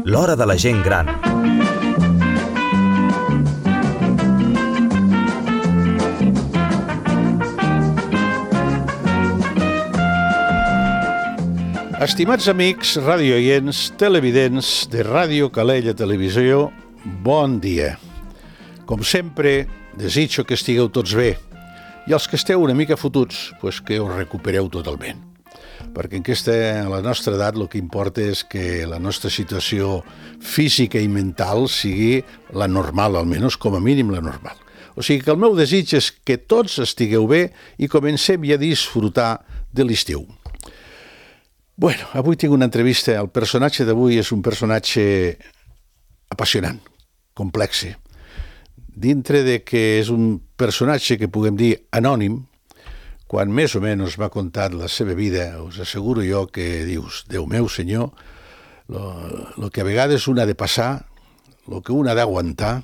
L'hora de la gent gran. Estimats amics, radioients, televidents de Ràdio Calella Televisió, bon dia. Com sempre, desitjo que estigueu tots bé i els que esteu una mica fotuts, pues que us recupereu totalment. Perquè a la nostra edat el que importa és que la nostra situació física i mental sigui la normal, almenys com a mínim la normal. O sigui que el meu desig és que tots estigueu bé i comencem ja a disfrutar de l'estiu. Bueno, avui tinc una entrevista. El personatge d'avui és un personatge apassionant, complex. Dintre de que és un personatge que puguem dir anònim, quan més o menys m'ha contat la seva vida, us asseguro jo que dius, Déu meu senyor, el que a vegades un ha de passar, el que un ha d'aguantar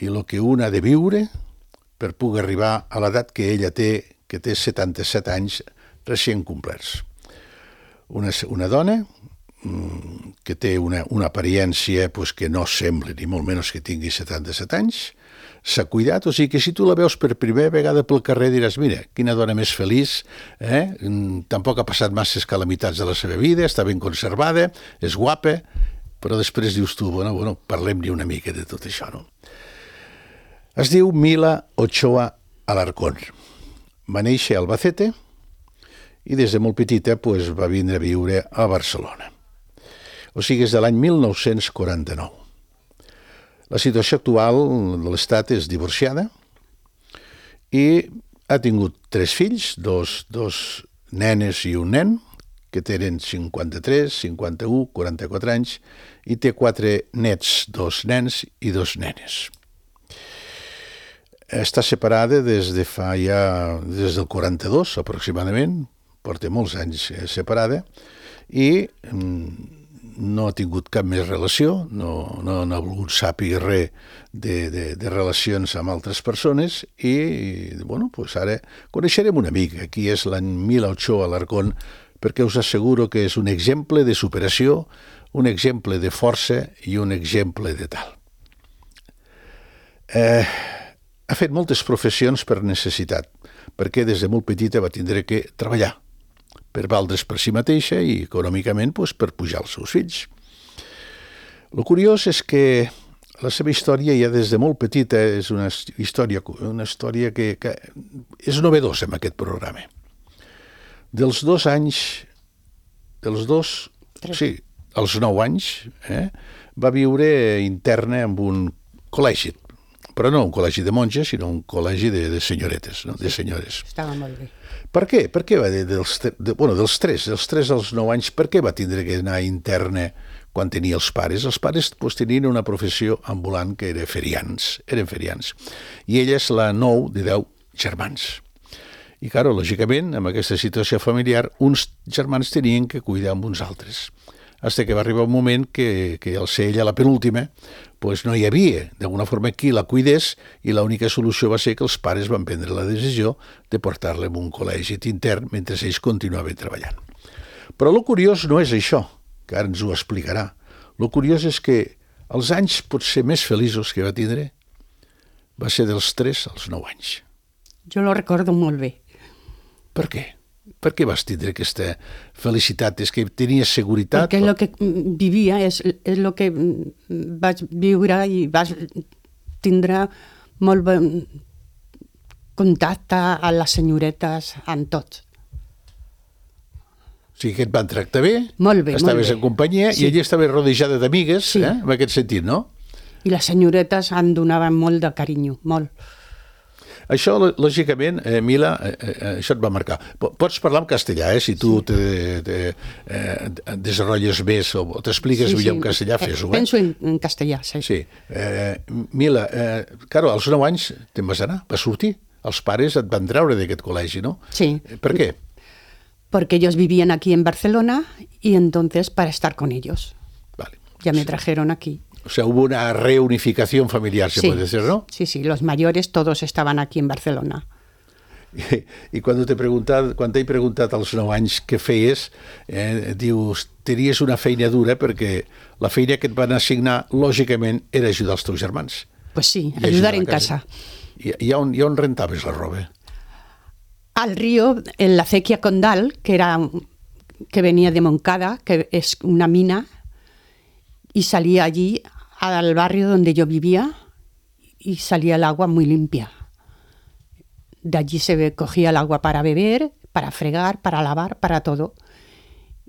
i el que un ha de viure per poder arribar a l'edat que ella té, que té 77 anys recient complerts. Una dona que té una apariència pues, que no sembla ni molt menys que tingui 77 anys, s'ha cuidat, o sigui que si tu la veus per primera vegada pel carrer diràs, mira, quina dona més feliç, tampoc ha passat masses calamitats de la seva vida, està ben conservada, és guapa, però després dius tu, bueno, parlem-ne una mica de tot això, no? Es diu Mila Ochoa Alarcón. Va néixer a Albacete, i des de molt petita pues, va vindre a viure a Barcelona. O sigui, és de l'any 1949. La situació actual de l'Estat és divorciada i ha tingut 3 fills, dos nenes i un nen, que tenen 53, 51, 44 anys, i té 4 nets, 2 nens i 2 nenes. Està separada des del 42, aproximadament, porta molts anys separada, i no ha tingut cap més relació, no ha volgut saber res de relacions amb altres persones, i pues ara coneixerem una mica qui és la Mila Ochoa Alarcón, perquè us asseguro que és un exemple de superació, un exemple de força i un exemple de tal. Ha fet moltes professions per necessitat, perquè des de molt petita va tindre que treballar per valdre's per si mateixa i econòmicament pues, per pujar els seus fills. El curiós és que la seva història ja des de molt petita és una història que és novedosa en aquest programa. Als 9 anys, va viure interna en un col·legi, però no un col·legi de monges, sinó un col·legi de senyoretes, no? De senyores. Estava molt bé. Per què? Per què va dels 3 als 9 anys, per què va tindre que anar interna quan tenia els pares? Els pares pues, tenien una professió ambulant que eren ferians. I ella és la 9 de 10 germans. I, clar, lògicament, amb aquesta situació familiar, uns germans tenien que cuidar amb uns altres. Fins que va arribar un moment que al ser ella la penúltima, pues no hi havia d'alguna forma qui la cuidés, i l'única solució va ser que els pares van prendre la decisió de portar-la en un col·legi intern mentre ells continuaven treballant. Però el curiós no és això, que ara ens ho explicarà. El curiós és que els anys potser més feliços que va tindre va ser dels 3 als 9 anys. Jo lo recordo molt bé. Per què? Per què vas tindre aquesta felicitat? És que tenies seguretat? Perquè el que vivia és el que vaig viure i vaig tindre molt bon contacte a les senyoretes, amb tots. O sigui que et van tractar bé, molt bé, estaves en companyia, sí. I ella estava rodejada d'amigues, sí. En aquest sentit, no? I les senyoretes em donaven molt de carinyo, molt. Això, lògicament, Mila, això et va marcar. Pots parlar en castellà, si tu te desenvolupes més o t'expliques millor en castellà, fes-ho. Penso en castellà, sí. Sí. Mila, claro, als 9 anys te'n vas anar, vas sortir. Els pares et van treure d'aquest col·legi, no? Sí. ¿Per qué? Porque ellos vivían aquí en Barcelona y entonces para estar con ellos. Vale. Ya me trajeron aquí. O sea, hubo una reunificación familiar, se puede decir, ¿no? Sí, los mayores todos estaban aquí en Barcelona. I quan t'he preguntat als 9 anys què feies, dius, tenies una feina dura perquè la feina que et van assignar, lògicament, era ajudar els teus germans. Pues sí, ayudar en casa. I on rentaves la roba? Al río, en la acequia Condal, que venía de Moncada, que es una mina, y salía allí al barrio donde yo vivía y salía el agua muy limpia. De allí cogía el agua para beber, para fregar, para lavar, para todo.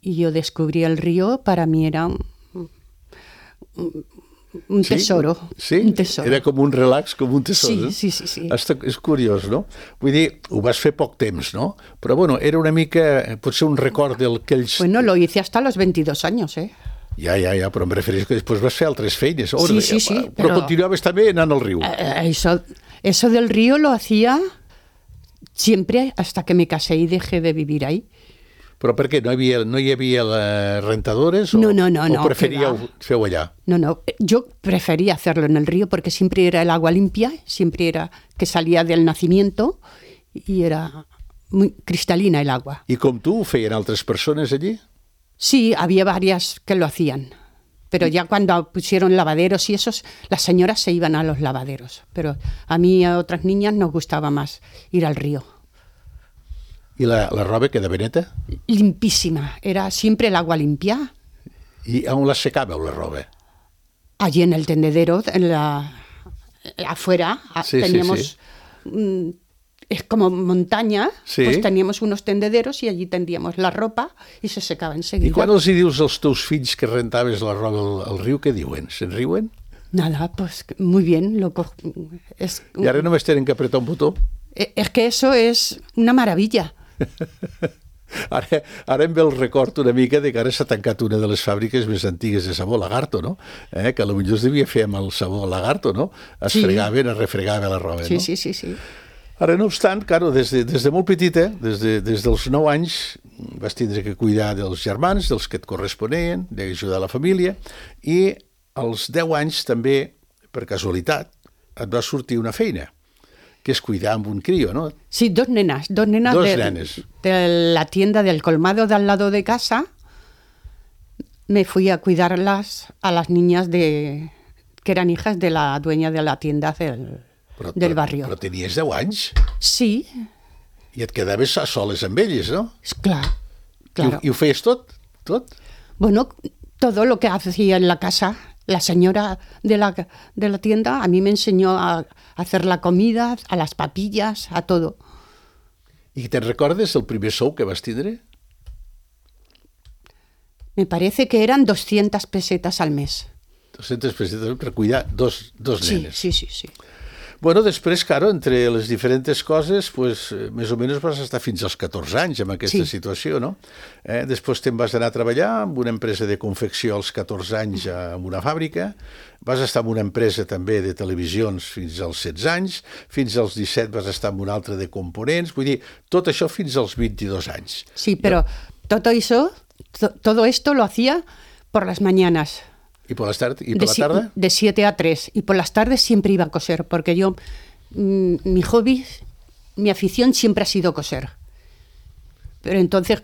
Y yo descubrí el río, para mí era un tesoro. Sí? Un tesoro. Era com un relax, com un tesoro. Sí. És curiós, no? Vull dir, ho vas fer poc temps, no? Però, bueno, era una mica, potser un record d'aquells... Bueno, lo hice hasta los 22 años, ¿eh? Ja, però em refereixo que després vas fer altres feines. Sí, però continuaves també anant al riu. Eso del río lo hacía siempre hasta que me casé y dejé de vivir ahí. Però per què? No hi havia rentadores? No. ¿O preferíeu fer allà? No, yo prefería hacerlo en el río porque siempre era el agua limpia, siempre era que salía del nacimiento y era muy cristalina el agua. I com tu, ho feien altres persones allí? Sí, había varias que lo hacían, pero ya cuando pusieron lavaderos y esos, las señoras se iban a los lavaderos, pero a mí y a otras niñas nos gustaba más ir al río. I la roba quedava neta? Limpísima, era siempre el agua limpia. I on la secàveu, la roba? Allí en el tendedero, afuera, teníamos... Sí. Es como montaña, sí. Pues teníamos unos tendederos y allí tendíamos la ropa y se secava enseguida. I quan els dius als teus fills que rentaves la roba al riu, què diuen? Se'n riuen? Nada, pues muy bien. I ara només tenen que apretar un botó? Es que eso es una maravilla. Ara em ve el record una mica de que ara s'ha tancat una de les fàbriques més antigues de sabó Lagarto, no? Que potser es devia fer amb el sabó Lagarto, no? Es fregaven, es refregava la roba, no? Sí. Ara, no obstant, claro, des de molt petita, des dels 9 anys, vas tindre que cuidar dels germans, dels que et corresponien, d'ajudar la família, i als 10 anys també, per casualitat, et va sortir una feina, que es cuidar amb un crío, ¿no? Sí, dos nenas nenes. De la tienda del colmado de al lado de casa. Me fui a cuidarlas a las niñas que eran hijas de la dueña de la tienda del barrio. Però tenies 10 anys? Sí. I et quedaves a soles amb elles, no? Claro. I ho feies tot? Bueno, todo lo que hacía en la casa. La señora de la tienda a mí me enseñó a hacer la comida, a las papillas, a todo. I te'n recordes el primer sou que vas tindre? Me parece que eran 200 pesetas al mes. 200 pesetas per cuidar dos nenes. Sí. Bueno, després, claro, entre les diferents coses, pues, més o menys vas estar fins als 14 anys en aquesta situació, no? Després te'n vas anar a treballar en una empresa de confecció als 14 anys en una fàbrica, vas estar en una empresa també de televisions fins als 16 anys, fins als 17 vas estar en una altra de components, vull dir, tot això fins als 22 anys. Sí, però todo esto lo hacía por las mañanas. ¿Y por la tarde? De 7 a 3. Y por las tardes siempre iba a coser, porque yo, mi hobby, mi afición siempre ha sido coser. Pero entonces,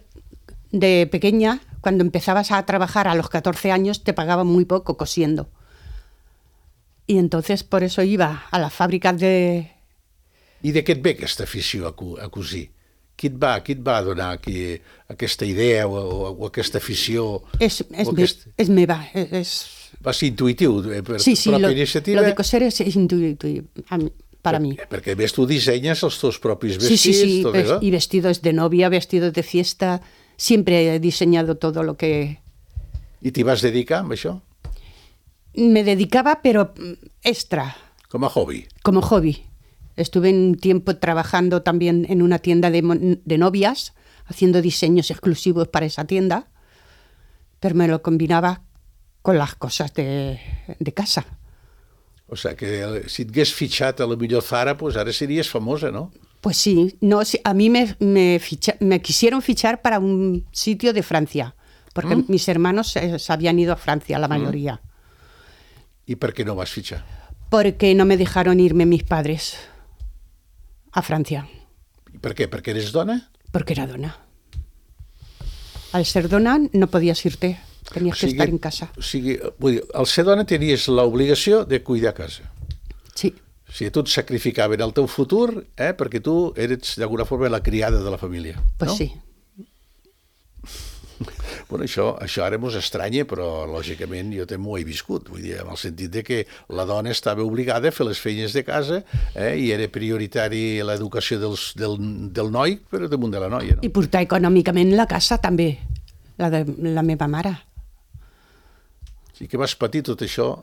de pequeña, cuando empezabas a trabajar a los 14 años, te pagaban muy poco cosiendo. Y entonces, por eso iba a las fábricas de... I de què et ve aquesta afició a cosir? Qui et va donar aquesta idea o aquesta afició? Va ser intuïtiu, per pròpia iniciativa? Lo de coser es intuitivo para mí. Perquè a més tu dissenyes els teus propis vestits, sí, tot això? Y vestidos de novia, vestidos de fiesta, siempre he diseñado todo lo que... I t'hi vas dedicar amb això? Me dedicaba, pero extra. Com a hobby? Como hobby. Estuve un tiempo trabajando también en una tienda de novias, haciendo diseños exclusivos para esa tienda, pero me lo combinaba con las cosas de casa. O sea, que si et hagués fitxat a la millor Zara, pues ara series famosa, ¿no? Pues sí. No, a mí me quisieron fichar para un sitio de Francia, porque mis hermanos se habían ido a Francia, la mayoría. ¿Y por qué no vas fitxar? Porque no me dejaron irme mis padres a Francia. I per què? Perquè eres dona? Porque era dona. Al ser dona no podías irte, tenías que estar en casa. O sigui, vull dir, al ser dona tenies l'obligació de cuidar casa. Sí, O sigui, tu et sacrificaven el teu futur perquè tu eres d'alguna forma la criada de la família. pues no? sí. Bueno, això ara mos estranya, però lògicament jo també ho he viscut, vull dir, en el sentit de que la dona estava obligada a fer les feines de casa i era prioritari l'educació del noi per damunt de la noia. No? I portar econòmicament la casa també, la de la meva mare. Sí que vas patir tot això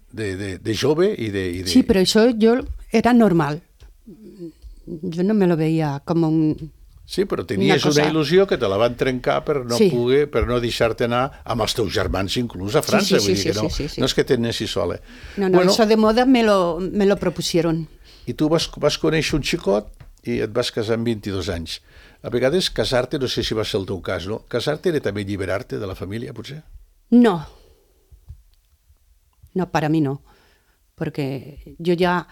de jove i de... Sí, però això jo era normal. Jo no me lo veía como un... Sí, però tenies una il·lusió que te la van trencar per no poder, per no deixar-te anar amb els teus germans, inclús a França. Vull dir que no és que t'anessis sola. No, eso de moda me lo propusieron. I tu vas conèixer un xicot i et vas casar amb 22 anys. A vegades casar-te, no sé si va ser el teu cas, no? Casar-te era també alliberar-te de la família, potser? No. No, para mí no. Porque yo ya,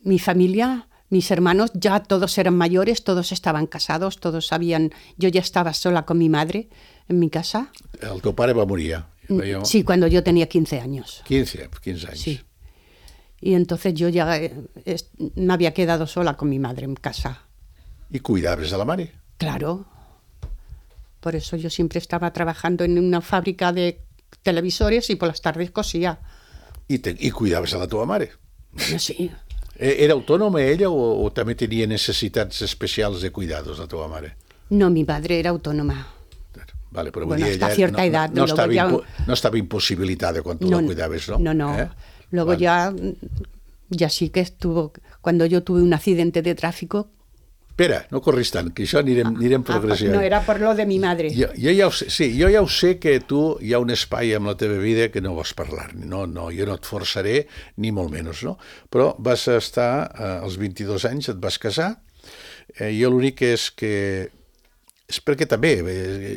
mi familia... Mis hermanos ya todos eran mayores, todos estaban casados, todos sabían... Yo ya estaba sola con mi madre en mi casa. El teu pare va morir ja? Sí, cuando yo tenía 15 años. 15 anys. Sí. Y entonces yo ya me había quedado sola con mi madre en casa. ¿Y cuidabas de la mare? Claro. Por eso yo siempre estaba trabajando en una fábrica de televisores y por las tardes cosía. ¿Y cuidabas a la teva mare? Bueno, sí. Era autònoma ella o també tenia necessitats especials de cuidados la teva mare? No, mi madre era autónoma. Vale, però bueno, ella hasta cierta edad. No estaba imposibilitada cuando tú la cuidabas, ¿no? No. Luego ya sí que estuvo... Cuando yo tuve un accidente de tráfico... Espera, no corris tant, que això anirem progressió. No, era por lo de mi madre. Jo ja ho sé que tu hi ha un espai en la teva vida que no vols parlar. No, jo no et forçaré, ni molt menys, no? Però vas estar, als 22 anys, et vas casar, jo l'únic és perquè també,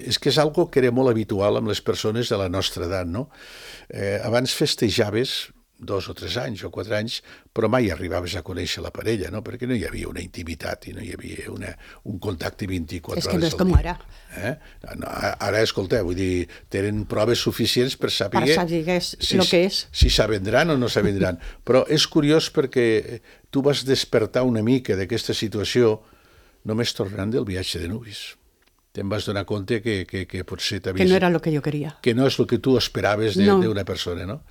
és que és algo que era molt habitual amb les persones de la nostra edat, no? Abans festejaves 2 o 3 anys o 4 anys, però mai arribaves a conèixer la parella, no? Perquè no hi havia una intimitat i no hi havia un contacte 24 hores al dia. És que no és com ara. Ara, escolta, vull dir, tenen proves suficients per saber si s'avendran o no s'avendran. Però és curiós perquè tu vas despertar una mica d'aquesta situació només tornant del viatge de Nubis. Te'n vas donar compte que potser t'havies... Que no era lo que yo quería. Que no és el que tu esperaves d'una persona, no?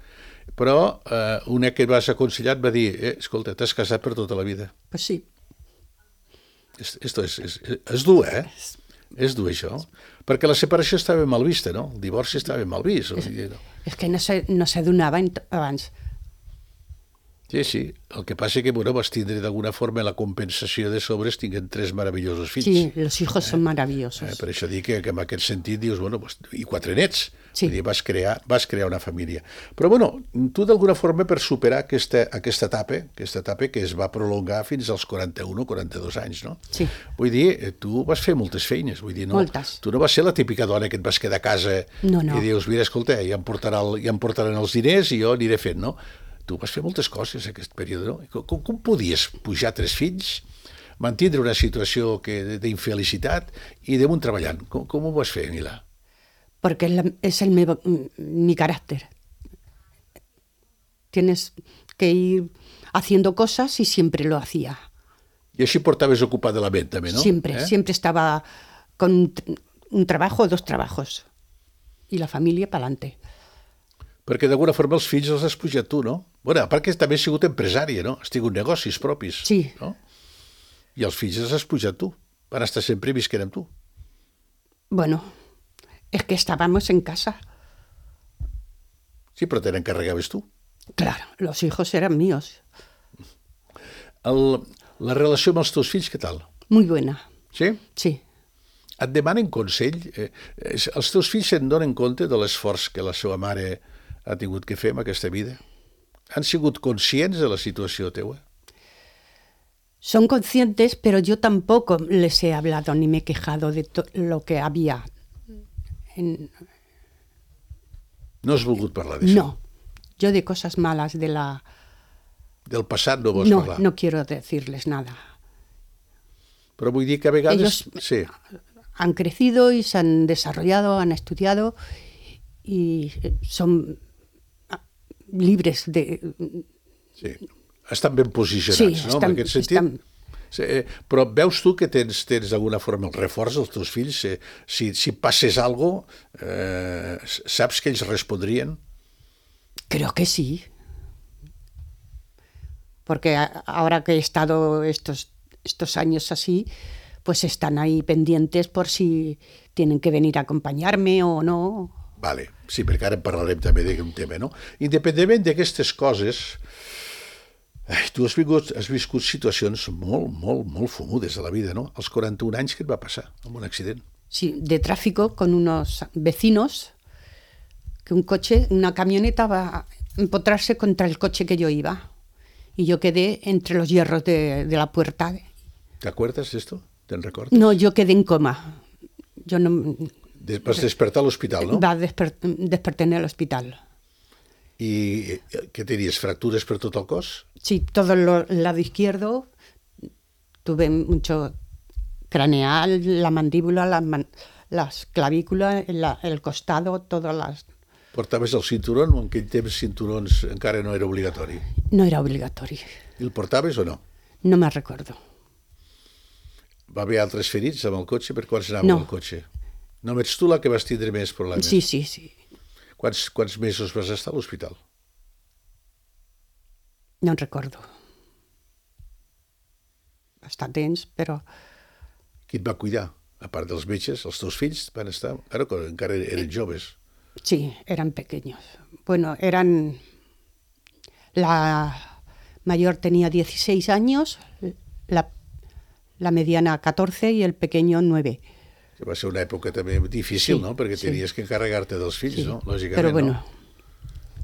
Però una que vas aconsellar et va dir escolta, t'has casat per tota la vida. Pues sí. Esto és dur, És dur, això. Perquè la separació estava mal vista, no? El divorci estava mal vist. És que no se donava abans. Sí. El que passa que vas tindre d'alguna forma la compensació de sobres tinguent 3 meravellosos fills. Sí, los hijos son maravillosos. Per això dic que en aquest sentit dius, i 4 nets. Sí. Vull dir, vas crear una família. Però, tu d'alguna forma per superar aquesta etapa que es va prolongar fins als 41 o 42 anys, no? Sí. Vull dir, tu vas fer moltes feines. Vull dir, no, moltes. Tu no vas ser la típica dona que et vas quedar a casa i dius, mira, escolta, ja em portaran els diners i jo aniré fent, no? Tu vas fer moltes coses en aquest període, no? Com podies pujar 3 fills, mantindre una situació d'infelicitat i damunt treballant? Com ho vas fer, Mila? Porque es mi carácter. Tienes que ir haciendo cosas y siempre lo hacía. I així portaves ocupada la ment, també, no? Siempre estaba con un trabajo o 2 trabajos. Y la familia para adelante. Perquè d'alguna forma els fills els has pujat tu, no? Bueno, a part que també has sigut empresària, no? Has tingut negocis propis. Sí. No? I els fills els has pujat tu. Van estar sempre visquent amb tu. Bueno, es que estábamos en casa. Sí, però te n'encarregaves tu. Claro, los hijos eran míos. La relació amb els teus fills, què tal? Muy buena. Sí? Sí. Et demanen consell? Els teus fills se'n donen compte de l'esforç que la seva mare ha tingut que fer en aquesta vida? Han sigut conscients de la situació teua? Son conscientes, pero yo tampoco les he hablado ni me he quejado de lo que había. No has volgut parlar d'això? No. Yo de cosas malas de Del passat no vols parlar? No quiero decirles nada. Però vull dir que a vegades... Ellos Sí, han crecido y se han desarrollado, han estudiado y son libres de... sí. Estan ben posicionats, Sí, no? estan- En aquest sentit. estan- Sí, però veus tu que tens d'alguna forma el reforç dels teus fills? Si passés alguna cosa, saps que ells respondrien? Creo que sí. Porque ahora que he estado estos años así, pues están ahí pendientes por si tienen que venir a acompañarme o no. Vale, sí, perquè ara en parlarem també d'un tema, no? Independentment d'aquestes coses, tu has viscut situacions molt fumudes de la vida, no? Als 41 anys, què et va passar amb un accident? Sí, de tráfico con unos vecinos, que una camioneta va a empotrarse contra el coche que yo iba. Y yo quedé entre los hierros de la puerta. ¿Te acuerdas de esto? ¿Te'n recordes? No, yo quedé en coma. Yo no... Vas despertar a l'hospital, no? Desperté en el hospital. I què tenies, fractures per tot el cos? Sí, todo el lado izquierdo. Tuve mucho craneal, la mandíbula, las clavículas, el costado, todas las... Portaves el cinturón o en aquell temps cinturons encara no era obligatori? No era obligatorio. I el portaves o no? No me recuerdo. Va haver altres ferits amb el cotxe? Per quants anava No. el cotxe? No ets tu la que vas tindre més problemes? Sí. Quants mesos vas estar a l'hospital? No recuerdo. Bastants, però... Qui et va cuidar? A part dels metges, els teus fills van estar... Ara encara eren joves. Sí, eran pequeños. Bueno, la mayor tenía 16 años, la mediana 14 y el pequeño 9. Que va ser una època també difícil, Sí, no? Perquè sí. tenies que encarregar-te dels fills, Sí, no? Lògicament, però bueno, no?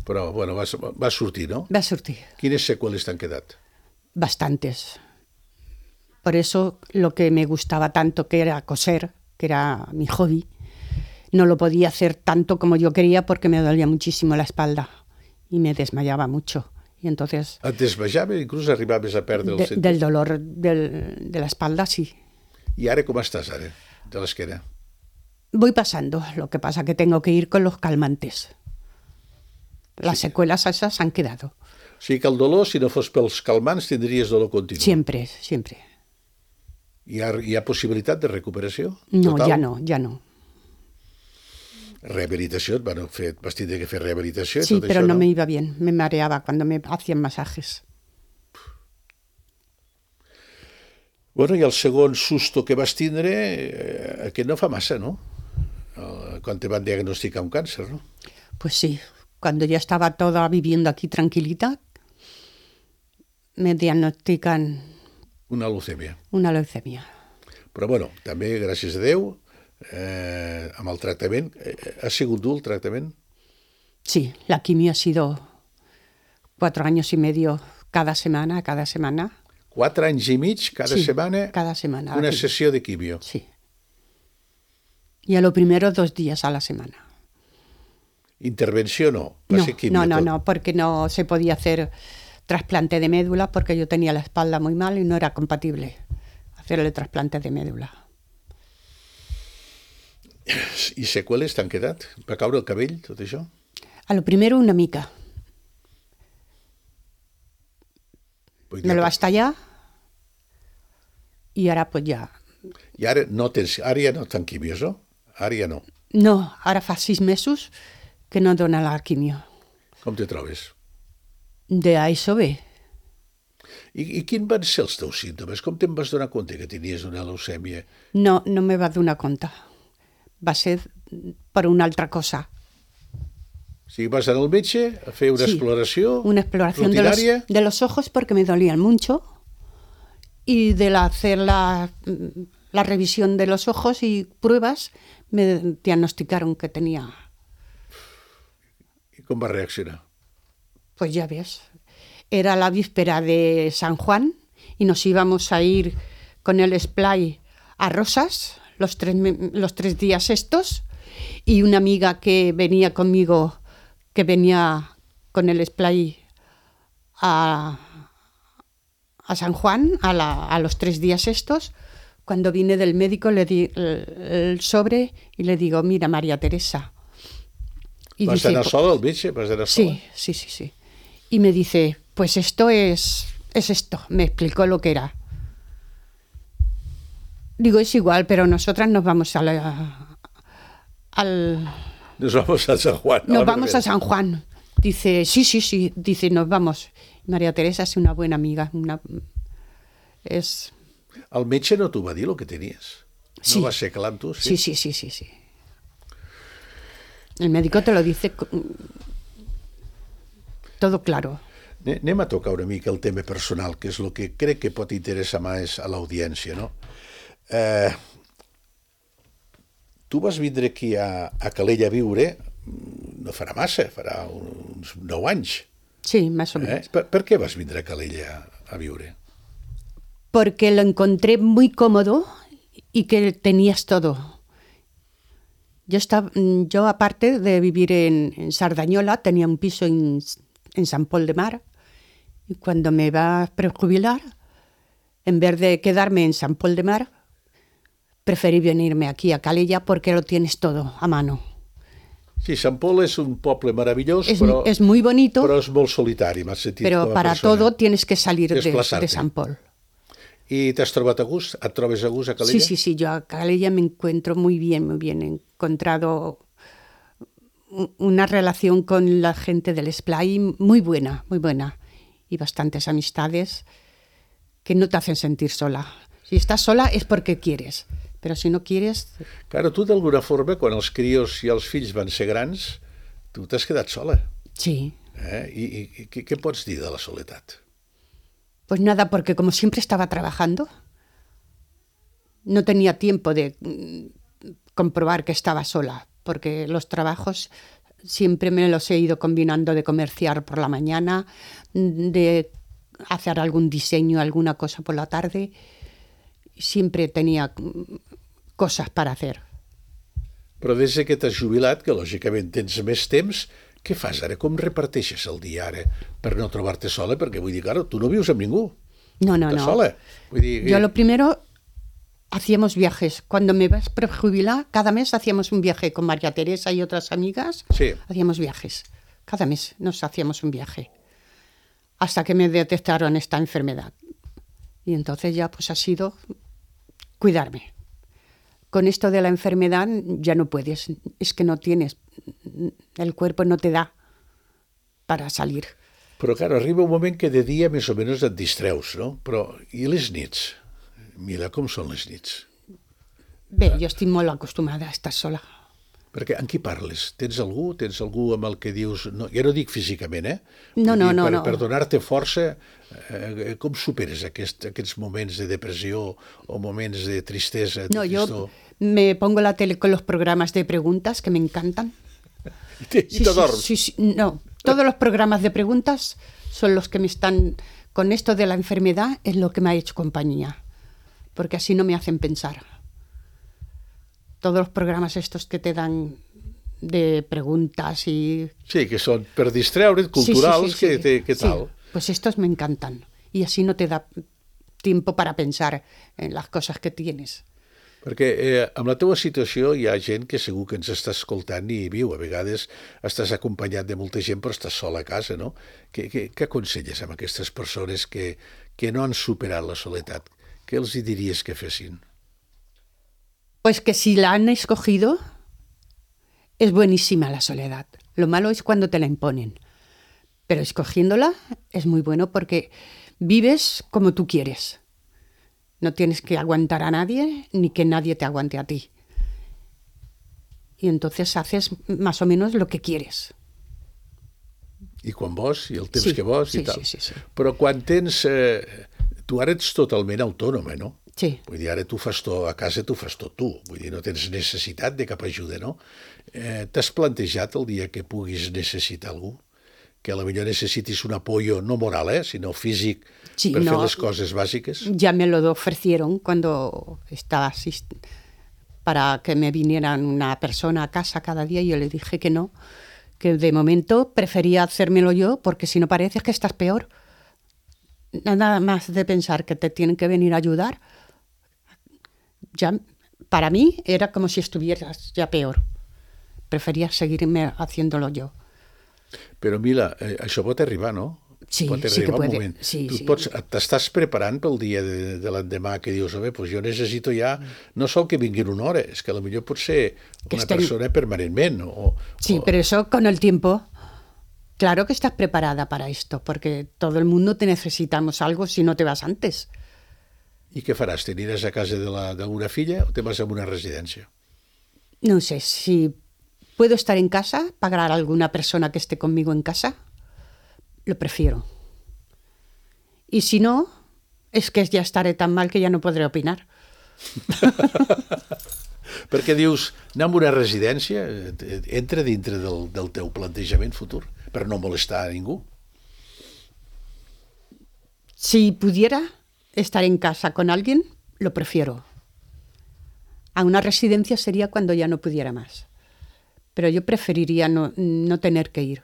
Però, bueno, va sortir, no? va a surtir Quines seqüeles t'han quedat? bastantes. Por eso lo que me gustaba tanto, que era coser, que era mi hobby, no lo podía hacer tanto como yo quería porque me dolía muchísimo la espalda y me desmayaba mucho. Y entonces, Et desvejava? Inclús arribaves a perdre el sentit? del dolor de la espalda, sí. I ara com estàs, ara, de l'esquena? Voy pasando, lo que pasa que tengo que ir con los calmantes. Las secuelas esas han quedado. O sigui que el dolor, si no fos pels calmants, tindries dolor continu. Siempre. Hi ha possibilitat de recuperació? No, Total? ya no. Rehabilitació, vas tindre que fer rehabilitació i Sí, tot pero això, no me iba bien, me mareaba cuando me hacían masajes. Bueno, i el segon susto que vas tindre, aquest no fa massa, no? Quan te van diagnosticar un càncer, no? Pues sí, cuando ya estaba toda viviendo aquí tranquilita, me diagnostican Una leucèmia. una leucemia. Però, bueno, també, gràcies a Déu, amb el tractament, ha sigut dur el tractament? Sí, la quimio ha sido 4 años y medio cada semana. 4 anys i mig, cada Sí, setmana, cada semana. una sessió de quimio. Sí. Y a lo primero 2 días a la semana. Intervenció no, va ser quimio tot. No, porque no se podía hacer trasplante de médula porque yo tenía la espalda muy mal y no era compatible hacer el trasplante de médula. I seqüeles t'han quedat? Va caure el cabell, tot això? A lo primero una mica. Vull Me dir, lo va a estallar y ahora pues ya. I ara ja no estan quimios, no? Ara ja no. No, ahora fa 6 mesos que no dona la quimio. Com te trobes? De a eso ve. I quins van ser els teus símptomes? Com te'n vas donar compte que tenies una leucèmia? No me va donar compte. Va ser per una altra cosa. O sigui, vas anar al metge a fer una Sí, exploració una exploración rutinària? de los ojos porque me dolían mucho y de hacer la revisión de los ojos y pruebas me diagnosticaron que tenía, I com vas reaccionar? pues ya ves, era la víspera de San Juan y nos íbamos a ir con el Splay a Rosas los 3 días estos y una amiga que venía conmigo, que venía con el Splay a San Juan, a los 3 días estos, Cuando vine del médico le di el sobre y le digo, mira, María Teresa. Y ¿Vas dice, anar sola al metge? ¿Vas anar sola? sí. Y me dice, pues esto es esto. Me explicó lo que era. Digo, es igual, pero nosotras nos vamos Nos vamos a San Juan. Nos vamos a San Juan. Dice, sí. Dice, nos vamos. María Teresa es una buena amiga. El metge no t'ho va dir, el que tenies? Sí. No va ser clar amb tu? Sí. Sí. El médico te lo dice todo claro. Anem a tocar una mica el tema personal, que és el que crec que pot interessar més a l'audiència, no? Tu vas vindre aquí a Calella a viure, no farà massa, farà uns 9 anys. Sí, más o menos. Per què vas vindre a Calella a viure? Porque lo encontré muy cómodo y que tenías todo. Yo aparte de vivir en Sardañola, tenía un piso en San Pol de Mar, y cuando me iba a prejubilar, en vez de quedarme en San Pol de Mar, preferí venirme aquí a Calella porque lo tienes todo a mano. Sí, Sant Pol és un poble meravellós, Es muy bonito, però és molt solitari, m'has sentit pero com a para persona. todo tienes que salir de Desplazarte. San Pol. I t'has trobat a gust? Et trobes a gust a Calella? Sí, yo a Calella me encuentro muy bien. He encontrado una relación con la gente del Esplai muy buena. Y bastantes amistades que no te hacen sentir sola. Si estás sola es porque quieres, pero si no quieres... Claro, tu d'alguna forma, quan els crios i els fills van ser grans, tu t'has quedat sola. Sí. I què pots dir de la soledat? Pues nada, porque como siempre estaba trabajando, no tenía tiempo de comprobar que estaba sola, porque los trabajos siempre me los he ido combinando de comerciar por la mañana, de hacer algún diseño, alguna cosa por la tarde. Siempre tenía cosas para hacer. Però des que t'has jubilat, que lògicament tens més temps, què fas ara? Com reparteixes el dia ara per no trobar-te sola? Perquè vull dir, claro, tu no vius amb ningú. No. Estàs sola. Vull dir, Yo lo primero, hacíamos viajes. Cuando me vas a prejubilar, cada mes hacíamos un viaje con María Teresa y otras amigas. Sí. Hacíamos viajes. Cada mes nos hacíamos un viaje. Hasta que me detectaron esta enfermedad. Y entonces ya pues ha sido cuidarme. Con esto de la enfermedad ya no puedes, es que no tienes, el cuerpo no te da para salir. Però, claro, arriba un moment que de dia més o menys et distreus, no? Però, i les nits? Mira com són les nits. Bé, jo estic molt acostumada a estar sola. Perquè amb qui parles? Tens algú amb el que dius... No, ja no dic físicament, No. Per donar-te força, com superes aquests moments de depressió o moments de tristesa? No, yo me pongo la tele con los programas de preguntas que me encantan. I te dorms? Sí. No, todos los programas de preguntas son los que me están... Con esto de la enfermedad es lo que me ha hecho compañía, porque así no me hacen pensar. Todos los programas estos que te dan de preguntas y... Sí, que són per distreure't, culturals, sí. ¿Qué tal? Sí, pues estos me encantan. Y así no te da tiempo para pensar en las cosas que tienes. Perquè amb la teva situació hi ha gent que segur que ens està escoltant i viu. A vegades estàs acompanyat de molta gent però estàs sol a casa, no? Què aconselles amb aquestes persones que no han superat la soledat? Què els hi diries que fessin? Pues que si la han escogido, es buenísima la soledad. Lo malo es cuando te la imponen. Pero escogiéndola es muy bueno porque vives como tú quieres. No tienes que aguantar a nadie ni que nadie te aguante a ti. Y entonces haces más o menos lo que quieres. I quan vols, i el temps que vols i tal. Sí. Però quan tens... tu ara ets totalment autònoma, no? Sí. Vull dir, ara tu fas tot, a casa tu fas tot tu. Vull dir, no tens necessitat de cap ajuda, no? T'has plantejat el dia que puguis necessitar algú? Que potser necessitis un apoyo, no moral, sinó físic, per fer les coses bàsiques? Ya me lo ofrecieron cuando estaba para que me vinieran una persona a casa cada día y yo le dije que no, que de momento prefería hacérmelo yo porque si no parece que estás peor. Nada más de pensar que te tienen que venir a ayudar, ya para mí era como si estuvieras ya peor. Prefería seguirme haciéndolo yo. Però, Mila, això pot arribar, no? Sí, pot sí que arribar un puede. moment. Sí, Tu sí. t'estàs preparant pel dia de l'endemà que dius, pues jo necessito ja, no sol que vinguin una hora, és que potser pot ser Que una estén- persona permanentment. Sí, pero eso con el tiempo, claro que estás preparada para esto, porque todo el mundo te necesitamos algo si no te vas antes. I què faràs? T'aniràs a casa d'alguna filla o te vas a una residència? No sé, si puedo estar en casa, pagar a alguna persona que esté conmigo en casa, lo prefiero. Y si no, es que ya estaré tan mal que ya no podré opinar. Perquè dius, anar a una residència entra dintre del teu plantejament futur, per no molestar a ningú. Si pudiera estar en casa con alguien, lo prefiero. A una residencia sería cuando ya no pudiera más. Pero yo preferiría no tener que ir.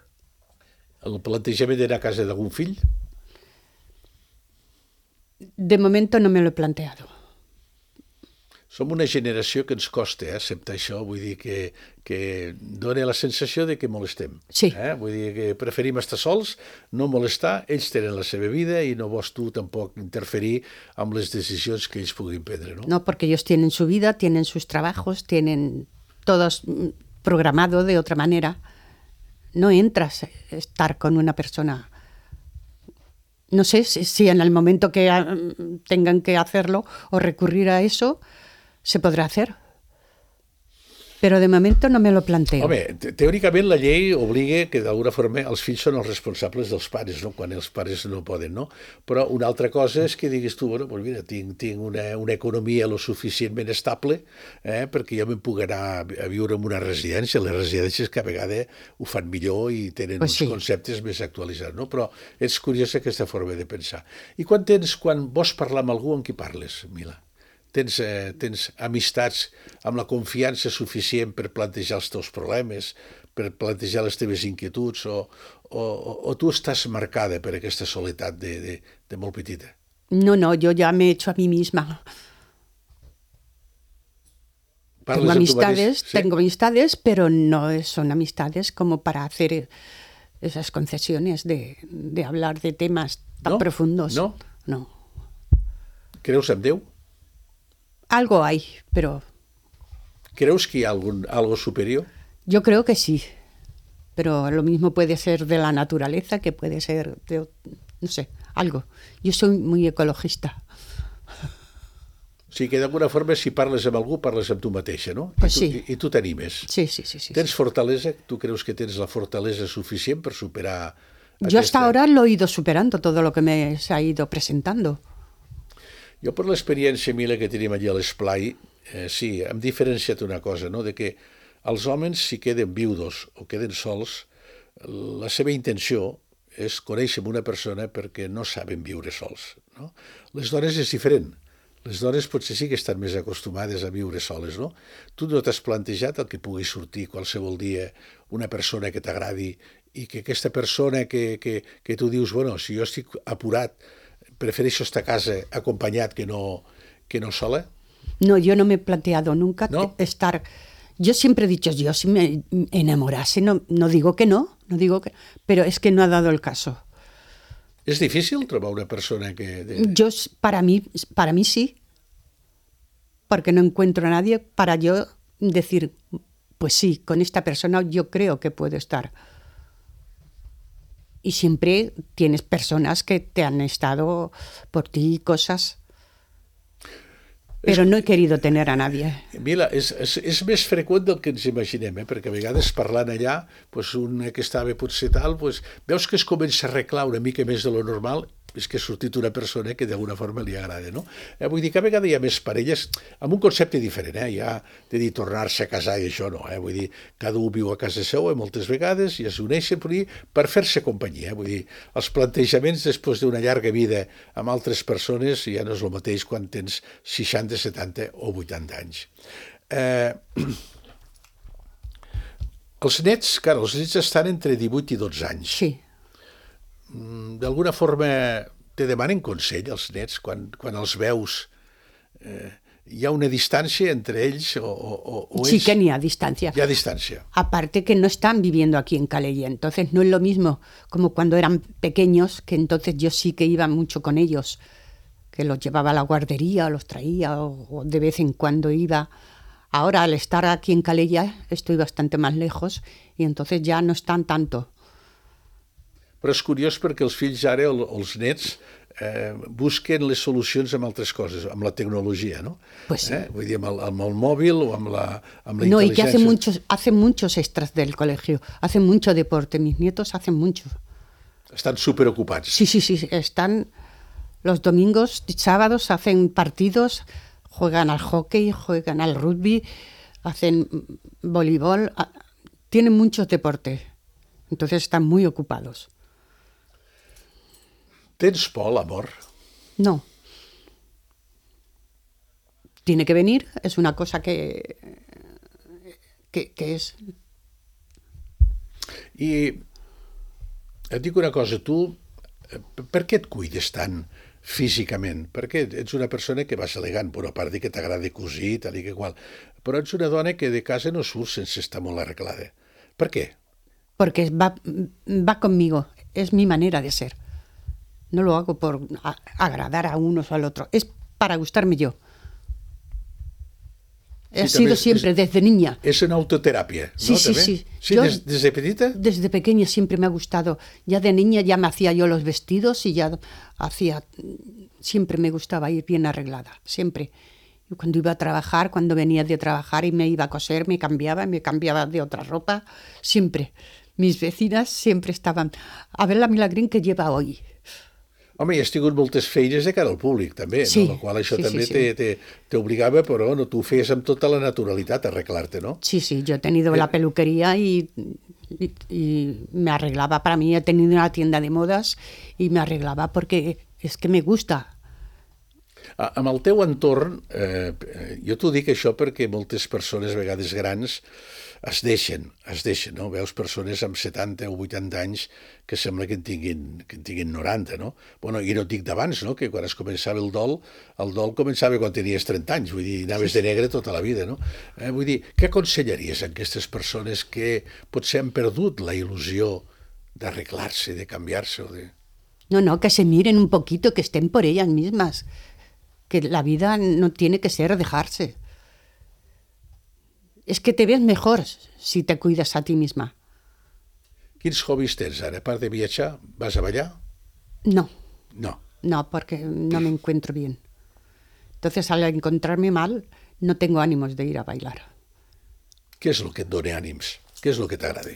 El plantejament d'anar a casa d'algun fill? De momento no me lo he planteado. Som una generació que ens costa acceptar això, vull dir que dona la sensació de que molestem. Sí. Vull dir que preferim estar sols, no molestar, ells tenen la seva vida i no vols tu tampoc interferir amb les decisions que ells puguin prendre, no? No, porque ellos tienen su vida, tienen sus trabajos, tienen todo programado de otra manera. No entras a estar con una persona. No sé si en el momento que tengan que hacerlo o recurrir a eso, se podrà hacer. Però de moment no me lo planteo. Home, teòricament la llei obliga que d'alguna forma els fills són els responsables dels pares, no? Quan els pares no poden, no? Però una altra cosa és que diguis tu, bueno, pues mira, tinc una economia lo suficientment estable perquè jo me'n puc anar a viure en una residència. Les residències cada vegada ho fan millor i tenen uns conceptes més actualitzats, no? Però és curiosa aquesta forma de pensar. I quan vols parlar amb algú, amb qui parles, Mila? Tens amistats amb la confiança suficient per plantejar els teus problemes, per plantejar les teves inquietuds, o tu estàs marcada per aquesta soledat de molt petita? No, yo ya me he hecho a mí misma. Tengo amistades, pero no son amistades como para hacer esas concesiones de hablar de temas tan profundos. No? No. Creus en Déu? Algo hay, pero... ¿Creus que hay algo superior? Yo creo que sí, pero lo mismo puede ser de la naturaleza que puede ser de, no sé, algo. Yo soy muy ecologista. O sigui que d'alguna forma si parles amb algú parles amb tu mateixa, no? Pues sí. I tu t'animes. Sí. Tens fortalesa? Tu creus que tens la fortalesa suficient per superar Yo hasta ahora lo he ido superando, todo lo que me se ha ido presentando. Jo, per l'experiència, Mila, que tenim allà a l'esplai, sí, hem diferenciat una cosa, no?, de que els homes, si queden viudos o queden sols, la seva intenció és conèixer una persona perquè no saben viure sols, no? Les dones és diferent. Les dones potser sí que estan més acostumades a viure soles, no? Tu no t'has plantejat el que pugui sortir qualsevol dia una persona que t'agradi i que aquesta persona que tu dius, bueno, si jo estic apurat, prefereixo estar a casa acompañado que no sola? No, yo no me he planteado nunca estar... Yo siempre he dicho, yo si me enamorase, no digo que no, pero es que no ha dado el caso. ¿Es difícil trobar una persona que... Para mí sí, porque no encuentro a nadie para yo decir, pues sí, con esta persona yo creo que puedo estar. Y siempre tienes personas que te han estado por ti, cosas. Però no he querido tener a nadie. Mila, és més freqüent del que ens imaginem, perquè a vegades parlant allà, un que estava potser tal, veus que es comença a arreglar una mica més de lo normal, és que ha sortit una persona que d'alguna forma li agrada, no? Vull dir que a vegades hi ha més parelles amb un concepte diferent, ja de dir tornar-se a casar i això no, vull dir, cada un viu a casa seva moltes vegades i es uneixen per fer-se companyia, vull dir, els plantejaments després d'una llarga vida amb altres persones ja no és el mateix quan tens 60, 70 o 80 anys. Els nets estan entre 18 i 12 anys. Sí. D'alguna forma te demanen consell els nets quan els veus hi ha una distància entre ells o Sí que ni a distancia. Hi ha distància. Aparte que no están viviendo aquí en Calella, entonces no es lo mismo como cuando eran pequeños, que entonces yo sí que iba mucho con ellos, que los llevaba a la guardería, o los traía, o de vez en cuando iba. Ahora, al estar aquí en Calella, estoy bastante más lejos y entonces ya no están tanto. Però és curiós perquè els fills ara, els nets, busquen les solucions amb altres coses, amb la tecnologia, no? Pues sí. Vull dir, amb el mòbil o amb la No, y que intel·ligència. hacen muchos extras del colegio, hacen mucho deporte, mis nietos hacen mucho. Estan superocupats. Sí, están los domingos, sábados, hacen partidos, juegan al hockey, juegan al rugby, hacen voleibol, tienen muchos deportes, entonces están muy ocupados. Tens por, l'amor? No. Tiene que venir, es una cosa que es... I et dic una cosa, tu, per què et cuides tant físicament? Perquè ets una persona que vas elegant, però a part de que t'agrada cosir, tal i que qual, però ets una dona que de casa no surt sense estar molt arreglada. Per què? Porque va conmigo, es mi manera de ser. No lo hago por agradar a unos o al otro, es para gustarme yo. He sido siempre, desde niña. És una autoteràpia, Sí, no? sí, També? sí. Sí, Yo, des de petita? desde pequeña siempre me ha gustado. Ya de niña ya me hacía yo los vestidos y ya hacía... Siempre me gustaba ir bien arreglada, siempre. Y cuando iba a trabajar, cuando venía de trabajar y me iba a coser, me cambiaba de otra ropa, siempre. Mis vecinas siempre estaban... A ver la Milagrín que lleva hoy. Home, i has tingut moltes feines de cara al públic, també, Sí, no? La qual això sí, també sí. t'obligava, però no, tu ho feies amb tota la naturalitat, arreglar-te, no? Sí, yo he tenido la peluquería y me arreglaba para mí. He tenido una tienda de modas y me arreglaba porque es que me gusta. Amb el teu entorn, jo t'ho dic això perquè moltes persones, a vegades grans, es deixen, no? Veus persones amb 70 o 80 anys que sembla que en tinguin 90, no? Bueno, i no et dic d'abans, no? Que quan es començava el dol començava quan tenies 30 anys, vull dir, anaves de negre tota la vida, no? Vull dir, què aconsellaries a aquestes persones que potser han perdut la il·lusió d'arreglar-se, de canviar-se o de... No, que se miren un poquito, que estén por ellas mismas. Que la vida no tiene que ser dejarse. Es que te ves mejor si te cuidas a ti misma. Quins hobbies tens ara? A part de viatjar, vas a ballar? No, No. porque no me encuentro bien. Entonces, al encontrarme mal, no tengo ánimos de ir a bailar. Què és el que et dona ànims? Què és el que t'agrada?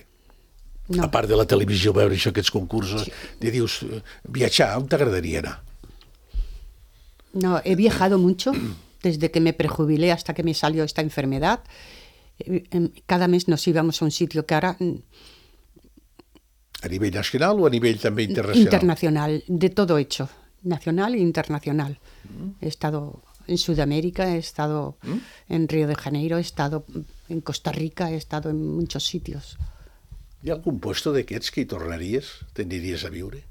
No. A part de la televisió, veure això, aquests concursos, i dius, viatjar, on t'agradaria anar? No, he viajado mucho desde que me prejubilé hasta que me salió esta enfermedad. Cada mes nos íbamos a un sitio que ahora... A nivell nacional o a nivell també internacional? Internacional, de todo hecho, nacional e internacional. He estado en Sudamérica, he estado en Río de Janeiro, he estado en Costa Rica, he estado en muchos sitios. Hi ha algun puesto d'aquests que hi tornaries? T'aniries a viure?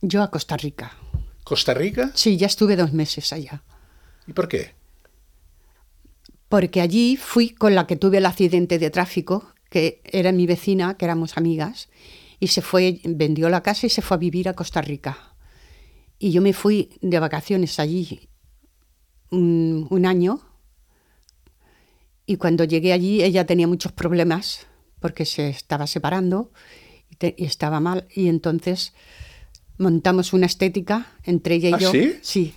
Yo a Costa Rica. Costa Rica? Sí, ya estuve 2 meses allá. I per què? Porque allí fui con la que tuve el accidente de tráfico, que era mi vecina, que éramos amigas, y se fue, vendió la casa y se fue a vivir a Costa Rica. Y yo me fui de vacaciones allí un año, y cuando llegué allí ella tenía muchos problemas porque se estaba separando y estaba mal, y entonces montamos una estética entre ella y yo. ¿Sí? Sí.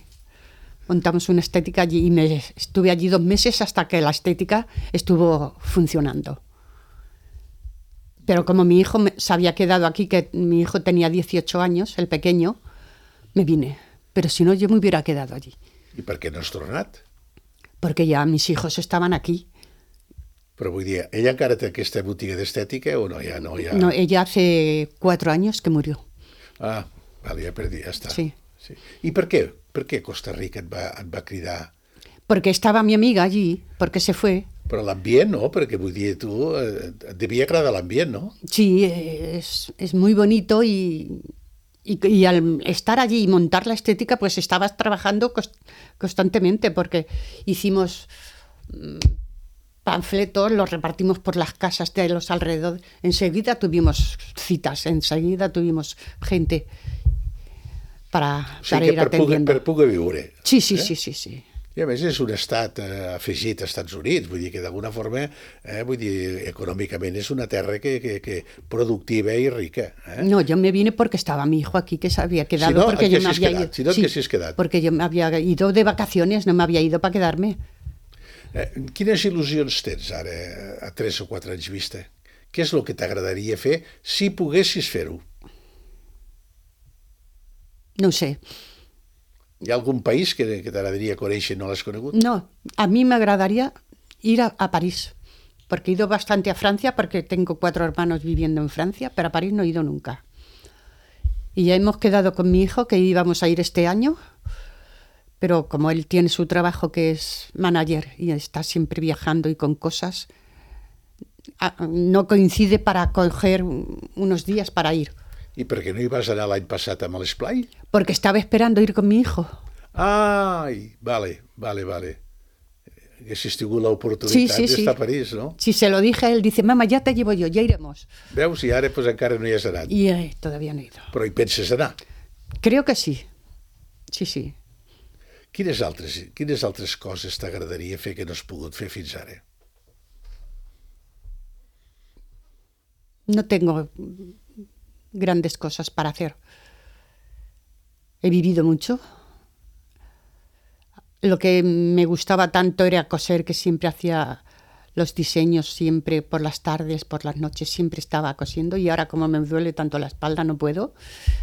Montamos una estética allí y estuve allí 2 meses hasta que la estética estuvo funcionando. Pero como mi hijo se había quedado aquí, que mi hijo tenía 18 años, el pequeño, me vine. Pero si no, yo me hubiera quedado allí. I per què no has tornat? Porque ya mis hijos estaban aquí. Però vull dir, ella encara té aquesta botiga d'estètica o no? Ja no, ja... No, ella hace 4 años que murió. Ah, vale, ja està. Sí. I per què? Per què Costa Rica et va cridar? Porque estaba mi amiga allí, porque se fue. Però l'ambient, no? Perquè vull dir, tu et devia agradar l'ambient, no? Sí, es muy bonito y Y al estar allí y montar la estética, pues estabas trabajando constantemente, porque hicimos panfletos, los repartimos por las casas de los alrededores. Enseguida tuvimos citas, enseguida tuvimos gente para ir atendiendo. Per poder viure. Sí. I a més és un estat afegit als Estats Units, vull dir que d'alguna forma, econòmicament és una terra que productiva i rica. No, yo me vine porque estaba mi hijo aquí, que se había quedado, porque yo me había ido. Si no, que s'hi has quedat. Porque yo me había ido de vacaciones, no me había ido para quedarme. Quines il·lusions tens ara, a 3 o 4 anys vista? Què és el que t'agradaria fer si poguessis fer-ho? No ho sé. Hi ha algun país que t'agradaria conèixer i no l'has conegut? No, a mí me agradaría ir a París, porque he ido bastante a Francia, porque tengo 4 hermanos viviendo en Francia, pero a París no he ido nunca. Y ya hemos quedado con mi hijo que íbamos a ir este año, pero como él tiene su trabajo que es manager y está siempre viajando y con cosas, no coincide para coger unos días para ir. I per què no hi vas anar l'any passat amb l'Esplai? Porque estaba esperando ir con mi hijo. Ai, vale. Haguessis tingut l'oportunitat d'estar a París, no? Si se lo dije a él, dice, mamá, ya te llevo yo, ya iremos. Veus, i ara pues, encara no hi has anat. Y todavía no he ido. Però hi penses anar? Creo que sí. Sí. Quines altres coses t'agradaria fer que no has pogut fer fins ara? No tengo grandes cosas para hacer. He vivido mucho. Lo que me gustaba tanto era coser, que siempre hacía los diseños, siempre por las tardes, por las noches, siempre estaba cosiendo, y ahora como me duele tanto la espalda no puedo.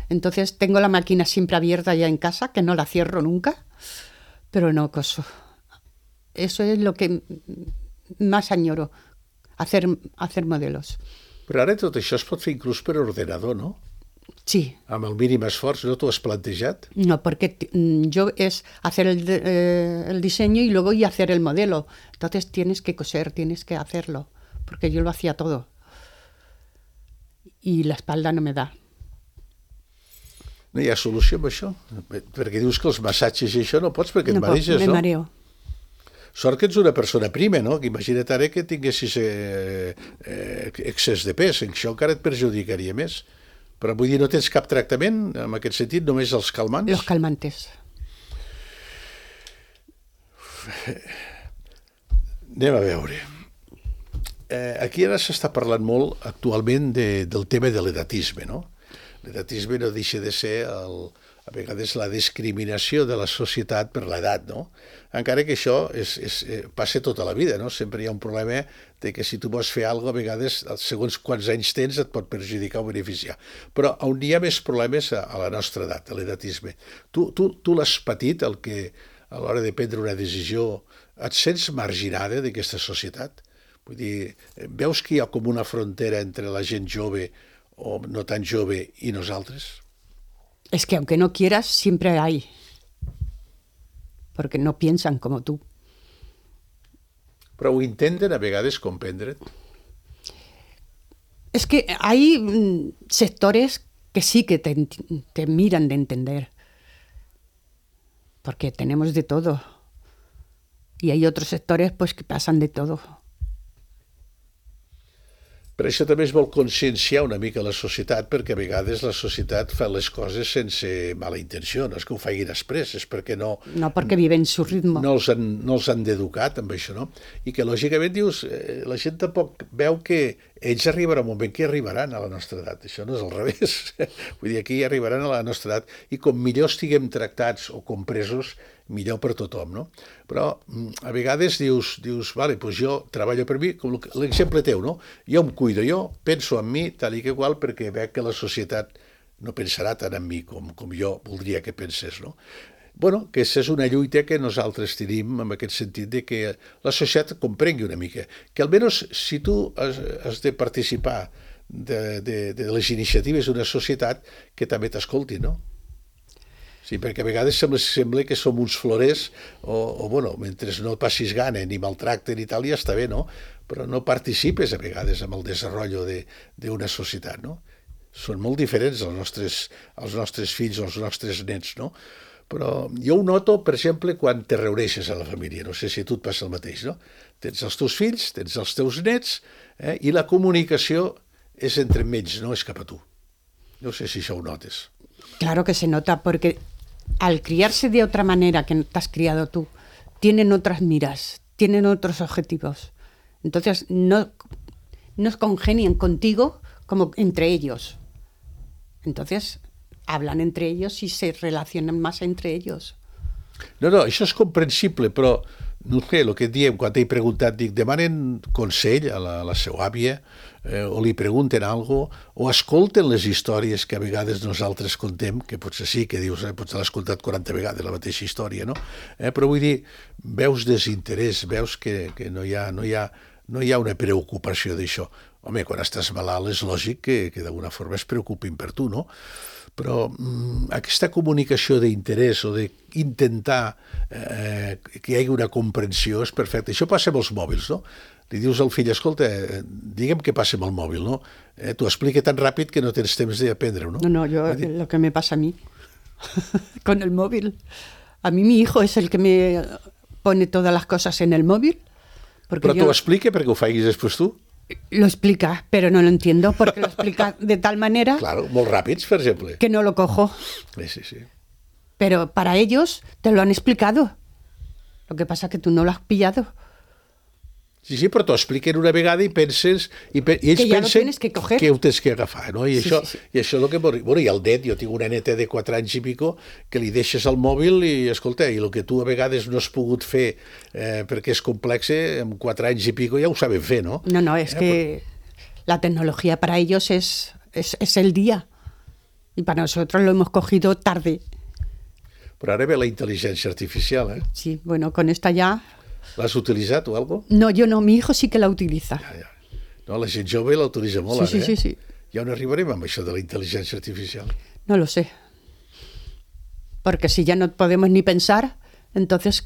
Entonces tengo la máquina siempre abierta ya en casa, que no la cierro nunca, pero no coso. Eso es lo que más añoro, hacer modelos. Però ara tot això es pot fer inclús per ordenador, no? Sí. Amb el mínim esforç, ¿no t'ho has plantejat? No, porque yo es hacer el diseño y luego hacer el modelo. Entonces tienes que coser, tienes que hacerlo, porque yo lo hacía todo. Y la espalda no me da. No hi ha solució amb això? Perquè dius que els massatges i això no pots perquè et mareixes, no? Me mareo. Sort que ets una persona prima, no? Que imagina't ara que tinguessis excés de pes, això encara et perjudicaria més. Però vull dir, no tens cap tractament en aquest sentit, només els calmants? Los calmantes. Anem a veure. Aquí ara s'està parlant molt actualment del tema de l'edatisme, no? L'edatisme no deixa de ser a vegades la discriminació de la societat per l'edat, no? Encara que això passa tota la vida, no? Sempre hi ha un problema de que si tu vols fer alguna cosa, a vegades, segons quants anys tens, et pot perjudicar o beneficiar. Però on hi ha més problemes a la nostra edat, a l'edatisme. Tu l'has patit, el que a l'hora de prendre una decisió et sents marginada d'aquesta societat? Vull dir, veus que hi ha com una frontera entre la gent jove o no tan jove i nosaltres? Es que aunque no quieras, siempre hay. Porque no piensan como tú. Però ho intenten a vegades comprendre't. Es que hay sectores que sí que te miran de entender. Porque tenemos de todo. Y hay otros sectores pues que pasan de todo. Per això també es vol conscienciar una mica la societat, perquè a vegades la societat fa les coses sense mala intenció, no és que ho facin express, és perquè no... No, perquè viven su ritmo. No els han d'educar, amb això, no? I que, lògicament, dius, la gent tampoc veu que ells arribaran un moment que arribaran a la nostra edat. Això no és al revés. Vull dir, aquí arribaran a la nostra edat i com millor estiguem tractats o compresos, millor per tothom, no? Però a vegades dius, vale, doncs jo treballo per mi, com l'exemple teu, no? Jo em cuido, jo penso en mi tal i que qual perquè veig que la societat no pensarà tant en mi com jo voldria que pensés, no? Bueno, que aquesta és una lluita que nosaltres tenim en aquest sentit de que la societat comprengui una mica, que almenys si tu has de participar de les iniciatives d'una societat, que també t'escolti, no? Sí, perquè a vegades sembla que som uns florers o bueno, mentre no passis gana ni maltracten i tal, ja està bé, no? Però no participes a vegades en el desenvolupament d'una societat, no? són molt diferents als nostres fills o als nostres nets, no? Però jo ho noto, per exemple, quan te reuneixes a la família. No sé si a tu et passa el mateix, no? Tens els teus fills, tens els teus nets, i la comunicació és entre ells, no és cap a tu. No sé si això ho notes. Claro que se nota, porque al criarse de otra manera que te has criado tú, tienen otras miras, tienen otros objetivos. Entonces no congenian contigo como entre ellos. Entonces hablan entre ellos y se relacionan más entre ellos. No, això és comprensible, però no sé, el que diem, quan t'he preguntat, dic, demanen consell a la seva àvia, o li pregunten alguna cosa, o escolten les històries que a vegades nosaltres contem, que potser sí, que dius, potser l'has escoltat 40 vegades, la mateixa història, no? Però vull dir, veus desinterès, veus que no hi ha una preocupació d'això. Home, quan estàs malalt és lògic que d'alguna forma es preocupin per tu, no? Però aquesta comunicació d'interès o d'intentar que hi hagi una comprensió és perfecta. Això passa amb els mòbils, no? Li dius al fill, escolta, digue'm què passa amb el mòbil, no? T'ho explica tan ràpid que no tens temps d'aprendre-ho, no? No, lo que me pasa a mí con el móvil. A mí mi hijo es el que me pone todas las cosas en el móvil. Però t'ho explica perquè ho facis després tu? Lo explica, pero no lo entiendo, porque lo explica de tal manera... Claro, molt ràpids, per exemple. Que no lo cojo. Sí. Pero para ellos te lo han explicado. Lo que pasa es que tú no lo has pillado. Sí, però t'ho expliquen una vegada i penses... I ells pensen que ho tens que agafar, no? I això és el que... Bueno, i el net, jo tinc una neta de 4 anys i pico que li deixes el mòbil i, escolta, i el que tu a vegades no has pogut fer perquè és complex, amb 4 anys i pico ja ho saben fer, no? No, es que la tecnología para ellos es el día. Y para nosotros lo hemos cogido tarde. Però ara ve la intel·ligència artificial, eh? Sí, bueno, con esta ya... L'has utilitzat o algo? No, yo no, mi hijo sí que la utiliza. Ja. No, la gent jove la utilitza molt, ara, eh? Sí. Ja on arribarem amb això de la intel·ligència artificial? No lo sé. Porque si ya no podemos ni pensar, entonces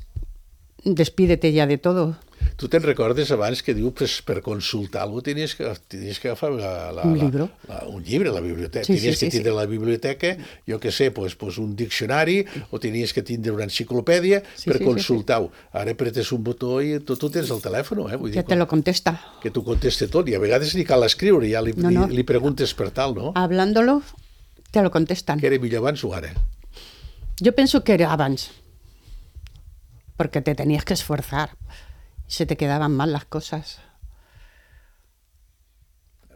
despídete ya de todo. Tu te'n recordes abans que diu per consultar alguna cosa tenies que agafar un llibre. Un llibre a la biblioteca. Sí, tenies que tindre a la biblioteca, jo què sé, pues un diccionari o tenies que tindre una enciclopèdia per consultar-ho. Ara apretes un botó i tu tens el telèfon, eh? Vull dir, te lo contesta. Que t'ho conteste tot i a vegades ni cal escriure, ja li preguntes per tal, no? Hablándolo, te lo contestan. Que era millor abans o ara? Yo pienso que era abans, porque te tenías que esforzar. Se te quedaban mal las cosas.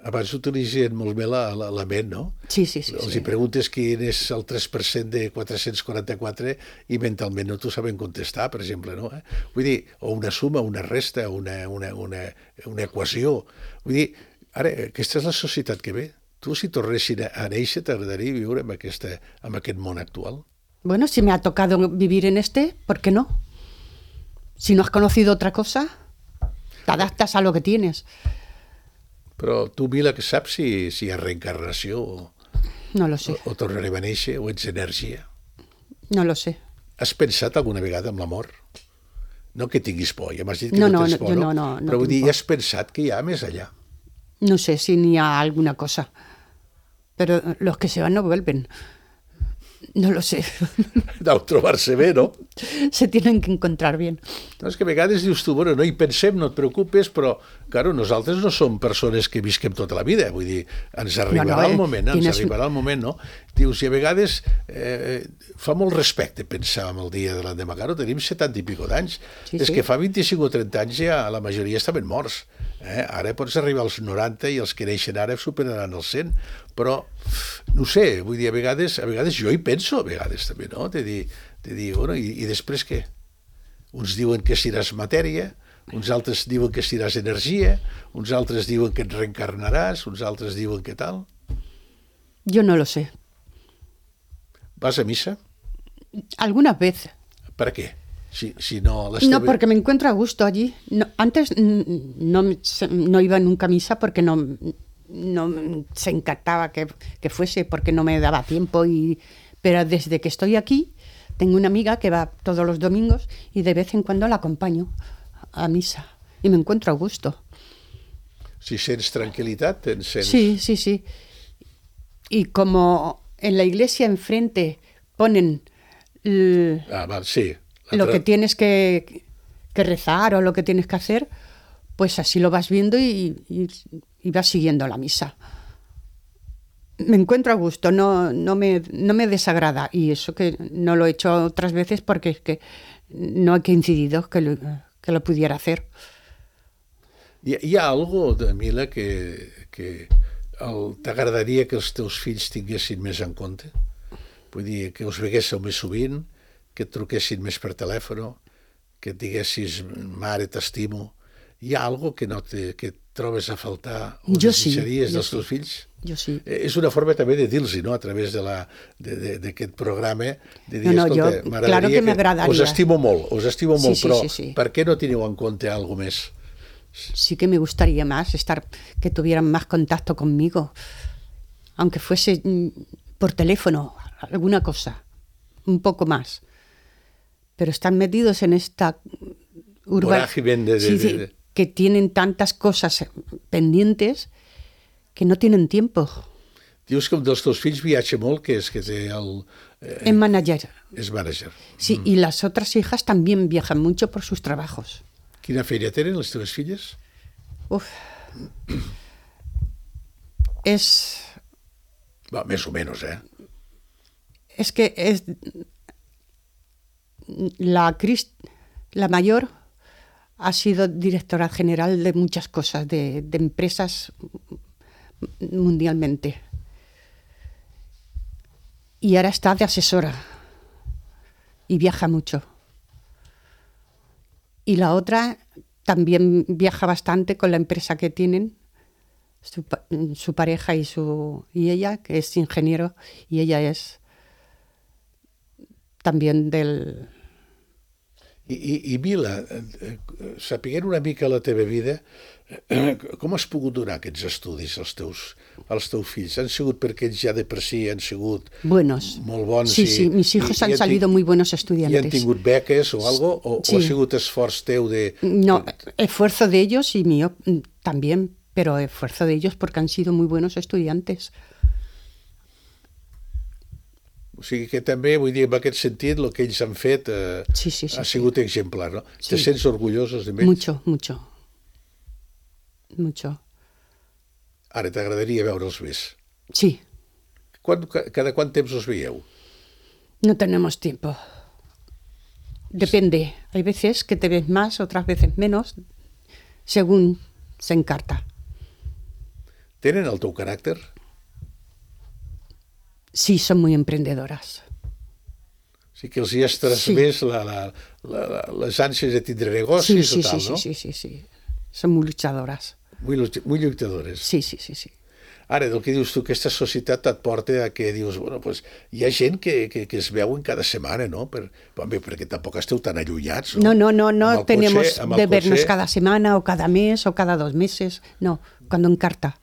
Abans utilitzen molt bé la ment, no? Sí. Els hi preguntes quin és el 3% de 444 i mentalment no t'ho saben contestar, per exemple, no? Vull dir, o una suma, una resta, una equació. Vull dir, ara, aquesta és la societat que ve. Tu, si tornessin a néixer, t'agradaria viure amb aquest món actual? Bueno, si me ha tocado vivir en ¿por qué no? Si no has conocido otra cosa, te adaptas a lo que tienes. Però tu, Mila, que saps si hi ha reencarnació no lo sé. O tornarem a néixer o ets energia? No lo sé. Has pensat alguna vegada en l'amor? No que tinguis por, ja m'has dit que no tens por, no? Però vull dir, has pensat que hi ha més allà? No sé si ni ha alguna cosa. Pero los que se van no vuelven. No lo sé. Deu trobar-se bé, no? Se tienen que encontrar bien. No, és que a vegades dius tu, bueno, no hi pensem, no et preocupes, però, claro, nosaltres no som persones que visquem tota la vida, vull dir, ens arribarà el moment, no? Dius, i a vegades fa molt respecte pensar en el dia de l'endemà. Claro, tenim 70 i pico d'anys. És que fa 25 o 30 anys ja la majoria estaven morts. Ara pots arribar als 90 i els que neixen ara superaran els 100, però no sé, vull dir, a vegades jo hi penso, a vegades també, no? De dir, bueno, i després què? Uns diuen que seràs matèria, uns altres diuen que seràs energia, uns altres diuen que et reencarnaràs, uns altres diuen que tal. Jo no lo sé. ¿Vas a misa? Algunas veces. ¿Para qué? Si no, no, porque me encuentro a gusto allí. No, antes no iba nunca a misa porque no se encantaba que fuese, porque no me daba tiempo. Pero desde que estoy aquí, tengo una amiga que va todos los domingos y de vez en cuando la acompaño a misa. Y me encuentro a gusto. Si sents tranquil·litat, Sí. Y como en la iglesia enfrente ponen Sí. lo que tienes que rezar o lo que tienes que hacer, pues así lo vas viendo y vas siguiendo la misa. Me encuentro a gusto, no me desagrada. Y eso que no lo he hecho otras veces porque es que no he coincidido que lo pudiera hacer. Hi ha algo, Mila, que t'agradaria que els teus fills tinguessin més en compte? Vull dir, que us veguéssiu més sovint, que et truquessin més per telèfon, que et diguessis, mare, t'estimo. Hi ha algo que que trobes a faltar o desitjaries dels teus fills? Jo sí. És una forma també de dir-los, no?, a través d'aquest programa, de dir, escolta, claro que m'agradaria. Us estimo molt, Sí, però sí. per què no teniu en compte alguna més? Sí que me gustaría más que tuvieran más contacto conmigo, aunque fuese por teléfono, alguna cosa, un poco más. Pero están metidos en esta vorágine que tienen tantas cosas pendientes que no tienen tiempo. Dius que un dels teus fills viatja molt, que és que té el... Es manager. És manager. Sí, y las otras hijas también viajan mucho por sus trabajos. Quina feina tenen les teves filles? Va, més o menys, Es que la mayor ha sido directora general de muchas cosas, de empresas mundialmente. Y ahora está de asesora y viaja mucho. Y la otra también viaja bastante con la empresa que tienen, su pareja y ella, que es ingeniero, y ella es también del... I Mila, sapiguent una mica la teva vida, com has pogut donar aquests estudis als teus fills? Han sigut perquè ells ja de per si han sigut buenos. Molt bons? Sí, mis hijos han salido muy buenos estudiantes. ¿Y han tingut beques o algo? ¿O ha sigut esforç teu de...? No, esfuerzo de ellos y mío también, pero esfuerzo de ellos porque han sido muy buenos estudiantes. O sigui que també, vull dir, en aquest sentit, el que ells han fet ha sigut exemplar, no? Sí. Te sents orgullosos d'ells? Mucho. Ara t'agradaria veure'ls més? Sí. Cada quant temps us veieu? No tenemos tiempo. Depende. Hay veces que te ves más, otras veces menos, según se encarta. Tenen el teu caràcter? Sí, son muy emprendedoras. Sí que els hi has transmès les ànsies de tindre negocis o tal, no? Sí. Son muy luchadoras. Muy lluitadores. Sí. Ara, del que dius tu, aquesta societat et porta a que dius, bueno, pues, hi ha gent que es veuen cada setmana, no? Perquè tampoc esteu tan allunyats, no? No tenemos de vernos cada semana o cada mes o cada 2 meses, no, cuando encarta.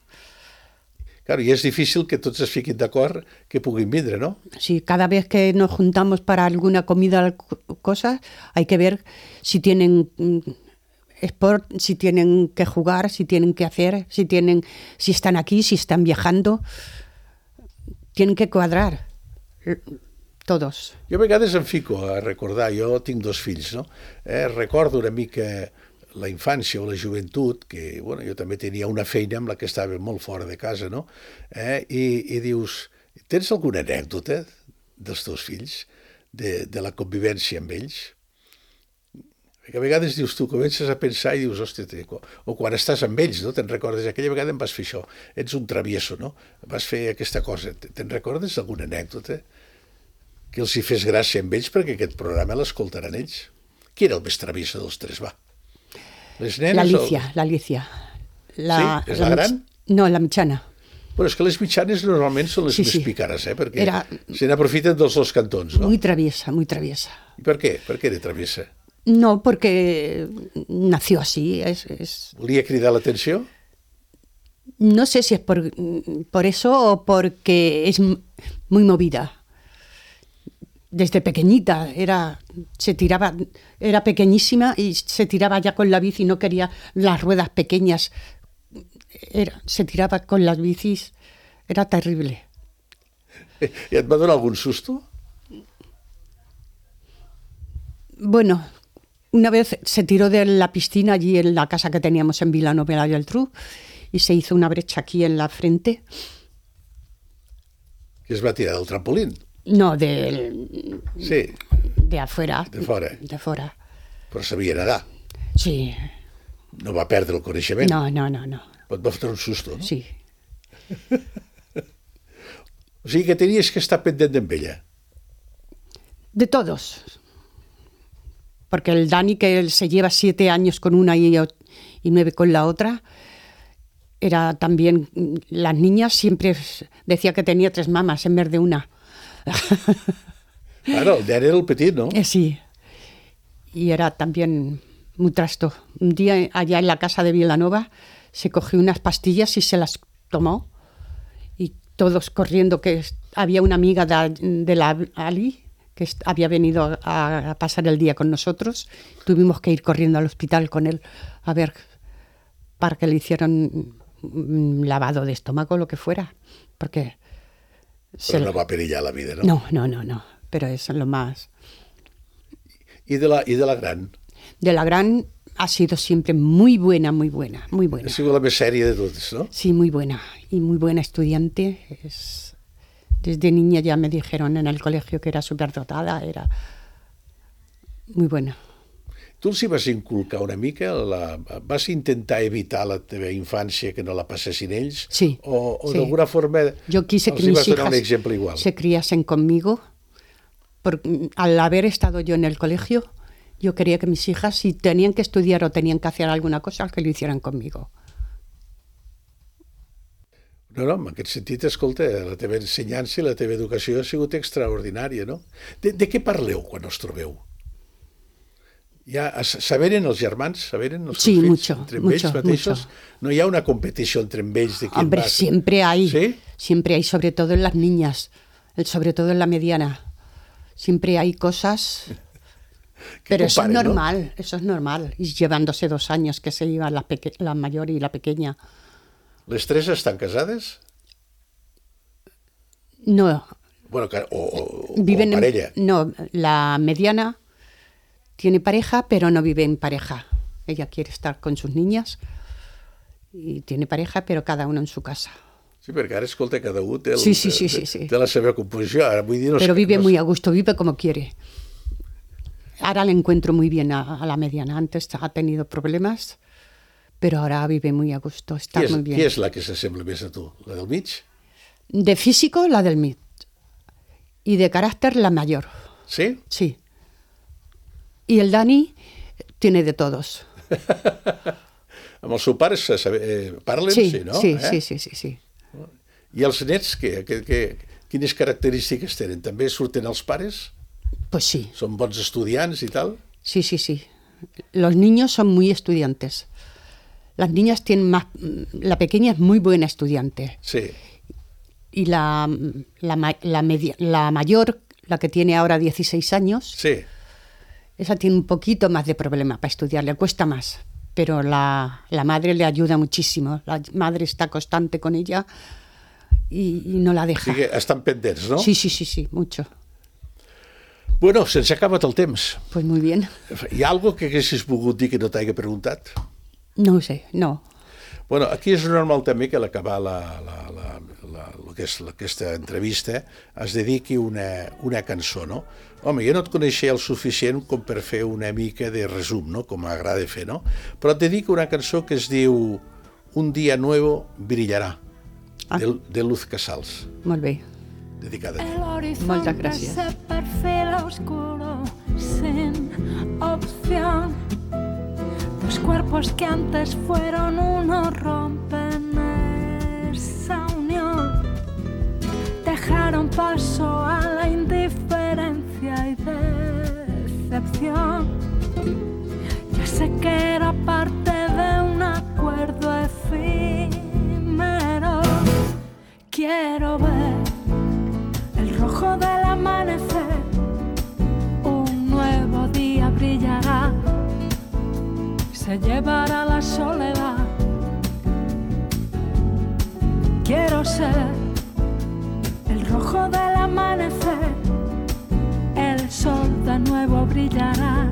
Claro, y es difícil que tots es fiquin d'acord que puguin vindre, ¿no? Sí, cada vez que nos juntamos para alguna comida o cosa, hay que ver si tienen sport, si tienen que jugar, si tienen que hacer, si están aquí, si están viajando. Tienen que cuadrar todos. Jo a vegades em fico a recordar, jo tinc 2 fills, no? Recordo una mica la infància o la joventut, que bueno, jo també tenia una feina amb la que estava molt fora de casa, no? I dius, tens alguna anècdota dels teus fills, de la convivència amb ells? Perquè a vegades dius, tu comences a pensar i dius, hòstia, o quan estàs amb ells, no? Te'n recordes, aquella vegada em vas fer això, ets un travieso, no? Vas fer aquesta cosa, te'n recordes alguna anècdota que els hi fes gràcia amb ells perquè aquest programa l'escoltaran ells? Qui era el més travieso dels 3, va? Les nenes, la Alicia. Sí? És la gran? No, la mitjana. Bueno, és que les mitjanes normalment són les més pícares, perquè se n'aprofiten dels 2 cantons, no? Muy traviesa. I per què? Per què era traviesa? No, porque nació así. ¿Volia cridar l'atenció? No sé si es por eso o porque es muy movida. Desde pequeñita era pequeñísima y se tiraba ya con la bici, no quería las ruedas pequeñas. Se tiraba con las bicis, era terrible. I et va donar algun susto? Bueno, una vez se tiró de la piscina allí en la casa que teníamos en Vilanova y la Geltrú y se hizo una brecha aquí en la frente. Que es va tirar del trampolín? No, Sí, de afuera. de fora. De fora. Però sabia nedar. Sí. No va perdre el coneixement. No. Et va fotre un susto, no? Sí. O sigui que tenies que estar pendent d'en ella. De todos. Porque el Dani, que él se lleva 7 años con una y 9 con la otra, era también, las niñas siempre decía que tenía 3 mamas en vez de una. Claro, el nen era el petit, no? Sí. Y era también muy trasto. Un día allá en la casa de Vilanova se cogió unas pastillas y se las tomó. Y todos corriendo, que había una amiga de la Ali que había venido a pasar el día con nosotros. Tuvimos que ir corriendo al hospital con él a ver, para que le hicieran un lavado de estómago o lo que fuera. Porque Però no va perillar la vida, no? No. Pero eso es lo más. I de la gran? De la gran ha sido siempre muy buena. Ha sigut la més sèria de totes, no? Sí, muy buena. Y muy buena estudiante. Desde niña ya me dijeron en el colegio que era superdotada. Era muy buena. Tu els hi vas inculcar una mica? Vas intentar evitar la teva infància que no la passessin ells? Sí. O sí. d'alguna forma Yo quise els que hi mis vas donar un hijas exemple igual? se criasen conmigo. Porque al haber estado yo en el colegio, yo quería que mis hijas, si tenían que estudiar o tenían que hacer alguna cosa, que lo hicieran conmigo. No, en aquest sentit, escolta, la teva ensenyança i la teva educació ha sigut extraordinària, no? De què parleu quan us trobeu? Saberen els germans? Saberen els Sí, fills? mucho, Entre mucho, ells mateixos? mucho. No hi ha una competició entre ells de qui Hombre, va... siempre hay. ¿Sí? Siempre hay, sobre todo en las niñas, sobre todo en la mediana. Siempre hay cosas... Pero eso es comparen, normal, ¿no? eso es normal. Y llevándose 2 años que se iban la mayor y la pequeña. Les 3 estan casades? No, Bueno, o viven parella. No, la mediana tiene pareja, pero no vive en pareja. Ella quiere estar con sus niñas y tiene pareja, pero cada uno en su casa. Sí, perquè ara, escolta, cada un té, Sí. té la seva composició. Ara, vull dir, Pero vive muy a gusto, vive como quiere. Ahora le encuentro muy bien a la mediana. Antes ha tenido problemas, pero ahora vive muy a gusto, está muy bien. Qui és la que s'assembla més a tu? La del mig? De físico, la del MIT. Y de carácter, la mayor. Sí? Sí. Y el Dani tiene de todos. Amb els seus pares parlen, Sí, sí, no? sí. I els nets, quines característiques tenen? També surten els pares? Pues sí, Són bons estudiants i tal? sí. Los niños son muy estudiantes. Las niñas tienen más... La pequeña es muy buena estudiante. Sí. Y la mayor, la que tiene ahora 16 años, Sí. esa tiene un poquito más de problema para estudiar, le cuesta más. Pero la madre le ayuda muchísimo. La madre está constante con ella y no la O deja. sigui, estan pendents, no? Sí, mucho. Bueno, se'ns ha acabat el temps. Pues muy bien. Hi ha alguna que haguessis volgut dir que no t'hagi preguntat? No sé, no. Bueno, aquí és normal també que a l'acabar aquesta entrevista es dediqui una cançó, no? Home, jo no et coneixia el suficient com per fer una mica de resum, no? Com m'agrada fer, no? Però et dedico una cançó que es diu Un día nuevo brillará, de Luz Casals, Molt bé. dedicada a ti. El horizonte Muchas gracias. se perfila oscuro, sin opción. Dos cuerpos que antes fueron uno rompen esa unión. Dejaron paso a la indiferencia y decepción. Ya sé que era parte de un acuerdo efímero. Quiero ver el rojo del amanecer. Un nuevo día brillará. Se llevará la soledad. Quiero ser el rojo rojo del amanecer, el sol de nuevo brillará,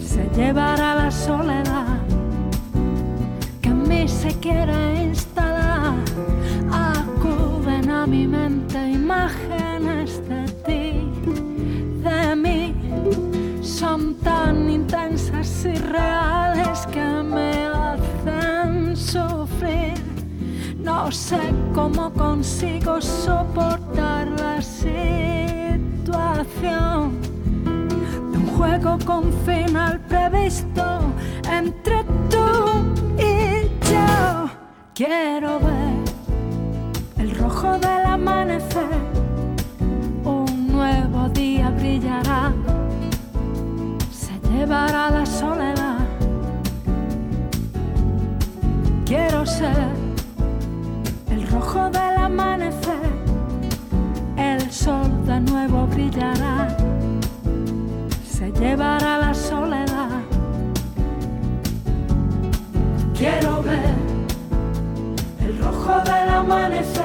se llevará la soledad que en mí se quiere instalar. Acuden a mi mente imágenes de ti, de mí, son tan intensas y reales que me hacen sufrir. No sé cómo consigo soportar la situación de un juego con final previsto entre tú y yo. Quiero ver el rojo del amanecer, un nuevo día brillará, se llevará la soledad. Quiero ser el rojo del amanecer, el sol de nuevo brillará, se llevará la soledad. Quiero ver el rojo del amanecer,